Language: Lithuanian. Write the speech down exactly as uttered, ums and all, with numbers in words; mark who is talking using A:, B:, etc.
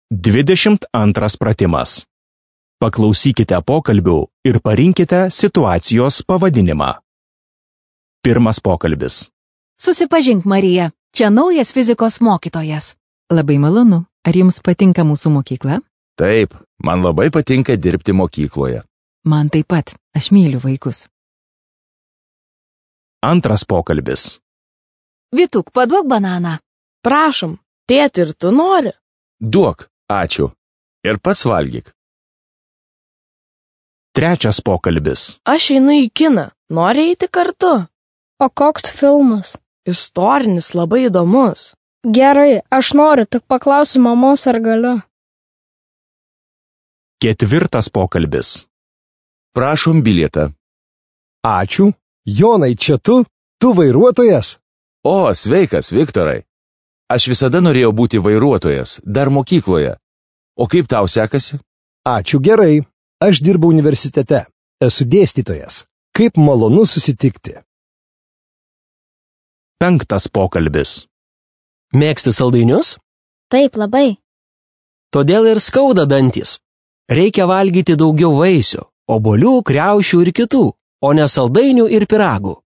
A: dvidešimt antras pratimas. Paklausykite pokalbių ir parinkite situacijos pavadinimą. Pirmas pokalbis.
B: Susipažink, Marija. Čia naujas fizikos mokytojas.
C: Labai malonu. Ar jums patinka mūsų mokykla?
D: Taip, man labai patinka dirbti mokykloje.
C: Man taip pat. Aš myliu vaikus.
A: Antras pokalbis.
B: Vytuk, paduok bananą.
E: Prašom, tėti, ir tu nori?
D: Duok, ačiū. Ir pats valgyk.
A: Trečias pokalbis.
E: Aš einu į kiną. Nori eiti kartu?
F: O koks filmas?
E: Istorinis, labai įdomus.
F: Gerai, aš noriu, tik paklausiu mamos, ar galiu.
A: Ketvirtas pokalbis.
D: Prašom bilietą.
G: Ačiū. Jonai, čia tu? Tu vairuotojas?
D: O, sveikas, Viktorai. Aš visada norėjau būti vairuotojas, dar mokykloje. O kaip tau sekasi?
G: Ačiū gerai. Aš dirbu universitete. Esu dėstytojas. Kaip malonu susitikti.
A: Penktas pokalbis.
H: Mėgsti saldainius?
F: Taip, labai.
H: Todėl ir skauda dantis. Reikia valgyti daugiau vaisių, obuolių, kriaušių ir kitų, o ne saldainių ir pyragų.